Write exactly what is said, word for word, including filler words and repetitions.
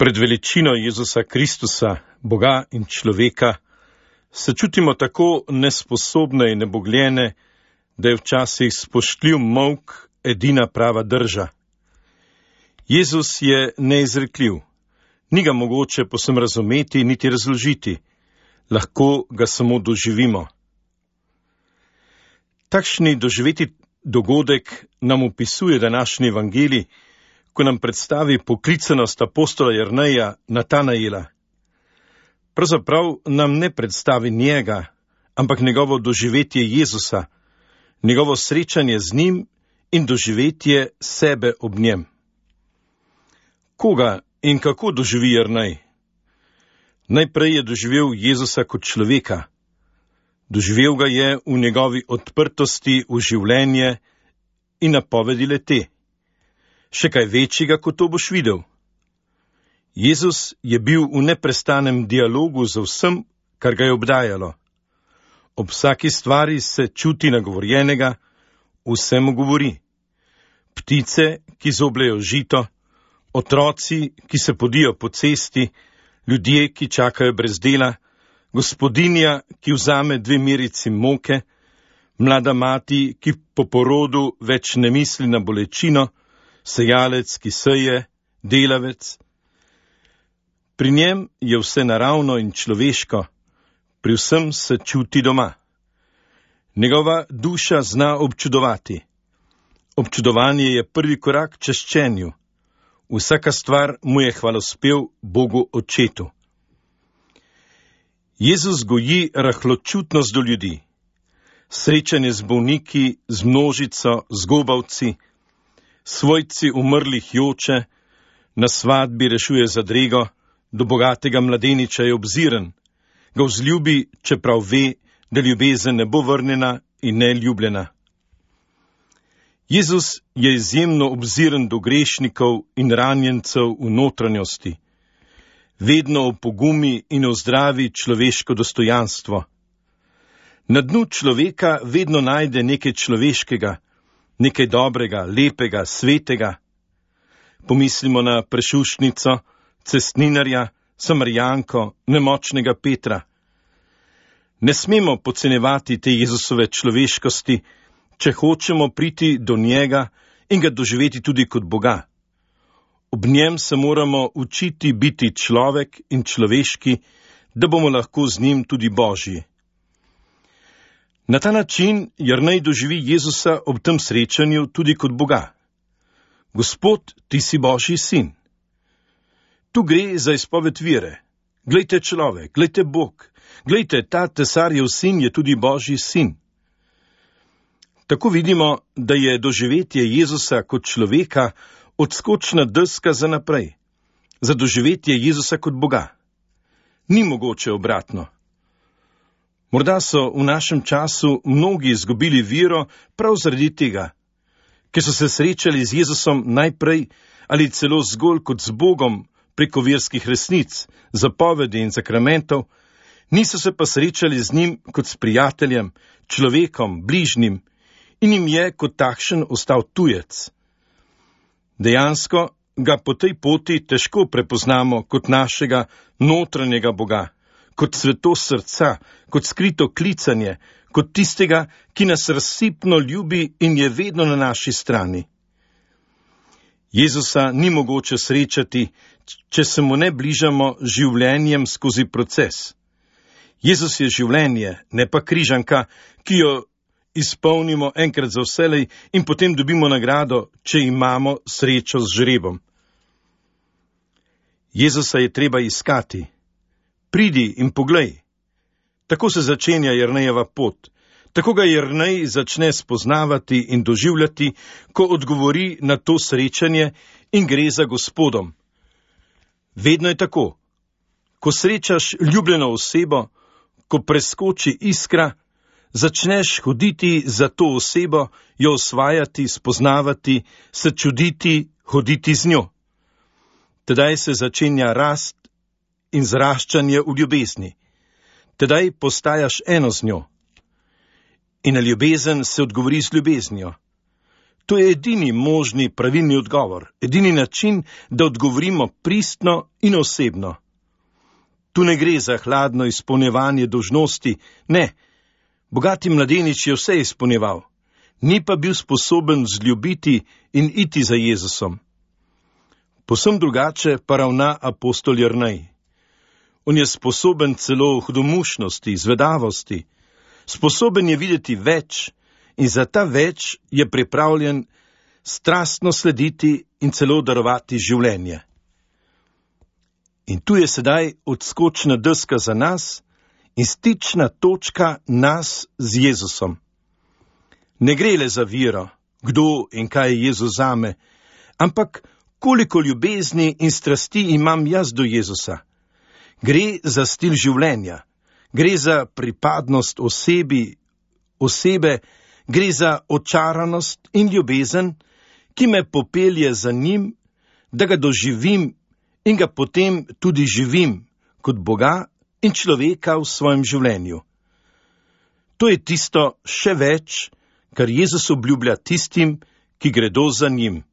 Pred veličino Jezusa Kristusa, Boga in človeka, se čutimo tako nesposobne in nebogljene, da je včasih spoštljiv molk edina prava drža. Jezus je neizrekljiv, ni ga mogoče povsem razumeti niti razložiti, lahko ga samo doživimo. Takšni doživeti dogodek nam opisuje današnji evangelij, ko nam predstavi poklicanost apostola Jerneja Natanaela. Pravzaprav nam ne predstavi njega, ampak njegovo doživetje Jezusa, njegovo srečanje z njim in doživetje sebe ob njem. Koga in kako doživi Jernej? Najprej je doživel Jezusa kot človeka. Doživel ga je v njegovi odprtosti v življenje in napovedi le-te. Še kaj večjega, kot to boš videl. Jezus je bil v neprestanem dialogu z vsem, kar ga je obdajalo. Ob vsaki stvari se čuti nagovorjenega, vse mu govori. Ptice, ki zobljejo žito, otroci, ki se podijo po cesti, ljudje, ki čakajo brez dela, gospodinja, ki vzame dve merici moke, mlada mati, ki po porodu več ne misli na bolečino, sejalec, ki seje, delavec. Pri njem je vse naravno in človeško, pri vsem se čuti doma. Njegova duša zna občudovati. Občudovanje je prvi korak k čaščenju. Vsaka stvar mu je hvalospev Bogu Očetu. Jezus goji rahločutnost do ljudi. Srečanje z bolniki, z množico, z gobavci, svojci umrlih joče, na svadbi rešuje zadrego, do bogatega mladeniča je obziren, ga vzljubi, čeprav ve, da ljubezen ne bo vrnjena in ne ljubljena. Jezus je izjemno obziren do grešnikov in ranjencev v notranjosti. Vedno opogumi in ozdravi človeško dostojanstvo. Na dnu človeka vedno najde nekaj človeškega, nekaj dobrega, lepega, svetega. Pomislimo na prešušnico, cestninarja, Samarijanko, nemočnega Petra. Ne smemo podcenjevati te Jezusove človeškosti, če hočemo priti do njega in ga doživeti tudi kot Boga. Ob njem se moramo učiti biti človek in človeški, da bomo lahko z njim tudi Božji. Na ta način Jernej doživi Jezusa ob tem srečanju tudi kot Boga. Gospod, ti si Božji sin. Tu gre za izpoved vere. Glejte človek, glejte Bog, glejte, ta tesarjev sin je tudi Božji sin. Tako vidimo, da je doživetje Jezusa kot človeka odskočna deska za naprej, za doživetje Jezusa kot Boga. Ni mogoče obratno. Morda so v našem času mnogi izgubili vero prav zaradi tega, ker so se srečali z Jezusom najprej ali celo zgolj kot z Bogom preko verskih resnic, zapovedi in sakramentov, niso se pa srečali z njim kot s prijateljem, človekom, bližnjim, in jim je kot takšen ostal tujec. Dejansko ga po tej poti težko prepoznamo kot našega notranjega Boga, kot svetost srca, kot skrito klicanje, kot tistega, ki nas razsipno ljubi in je vedno na naši strani. Jezusa ni mogoče srečati, če se mu ne bližamo življenjem skozi proces. Jezus je življenje, ne pa križanka, ki jo izpolnimo enkrat za vselej in potem dobimo nagrado, če imamo srečo z žrebom. Jezusa je treba iskati. Pridi in poglej. Tako se začenja Jernejeva pot. Tako ga Jernej začne spoznavati in doživljati, ko odgovori na to srečanje in gre za Gospodom. Vedno je tako. Ko srečaš ljubljeno osebo, ko preskoči iskra, začneš hoditi za to osebo, jo osvajati, spoznavati, se čuditi, hoditi z njo. Tedaj se začenja rast in zraščanje v ljubezni. Tedaj postajaš eno z njo. In na ljubezen se odgovori z ljubeznijo. To je edini možni pravilni odgovor, edini način, da odgovorimo pristno in osebno. Tu ne gre za hladno izpolnjevanje dolžnosti, ne. Bogati mladenič je vse izpolnjeval, ni pa bil sposoben vzljubiti in iti za Jezusom. Povsem drugače pa ravna apostol Jernej. On je sposoben celo hudomušnosti, zvedavosti, sposoben je videti več in za ta več je pripravljen strastno slediti in celo darovati življenje. In tu je sedaj odskočna deska za nas in stična točka nas z Jezusom. Ne gre le za vero, kdo in kaj je Jezus zame, ampak koliko ljubezni in strasti imam jaz do Jezusa. Gre za stil življenja, gre za pripadnost osebi, osebe, gre za očaranost in ljubezen, ki me popelje za njim, da ga doživim in ga potem tudi živim kot Boga in človeka v svojem življenju. To je tisto še več, kar Jezus obljublja tistim, ki gredo za njim.